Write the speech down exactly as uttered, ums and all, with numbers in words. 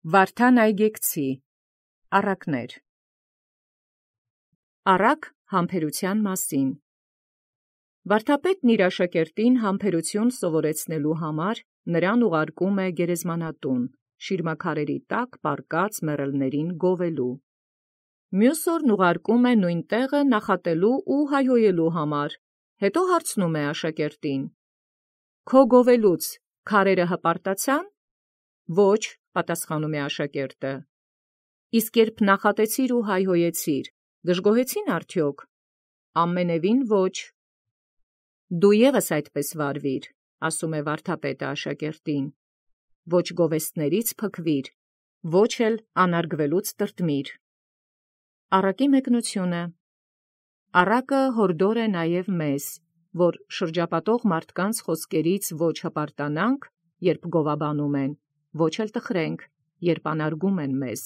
Վարդան Այգեկցի առակներ Առակ համբերութեան մասին Վարդապետն իր աշակերտին համբերութիւն սովորեցնելու համար նրան ուղարկում է գերեզմանատուն, շիրմաքարերի տակ պառկած մեռելներին գովելու։ Մյուս օրն ուղարկում է նույն տեղը նախատելու ու հայհոյելու համար, հետո հարցնում է աշակերտին. «Քո գովելուց քարերը հպարտացան»։ «Ոչ», պատասխանում է աշակերտը։ «Իսկ երբ նախատեցիր ու հայհոյեցիր, դժգոհեցին արդյոք»։ «Ամենևին ոչ»։ «Դու ևս այդպես վարվիր», ասում է վարդապետը աշակերտին. «ոչ գովեստներից փքվիր, ոչ էլ անարգվելուց տրտմիր»։ Առակի մեկնութիւնը։ Առակը յորդոր է նաև մեզ, որ շրջապատող մարդկանց խոսքերից ոչ հպարտանանք, երբ գովաբանում են, ոչ էլ տխրենք, երբ անարգում են մեզ։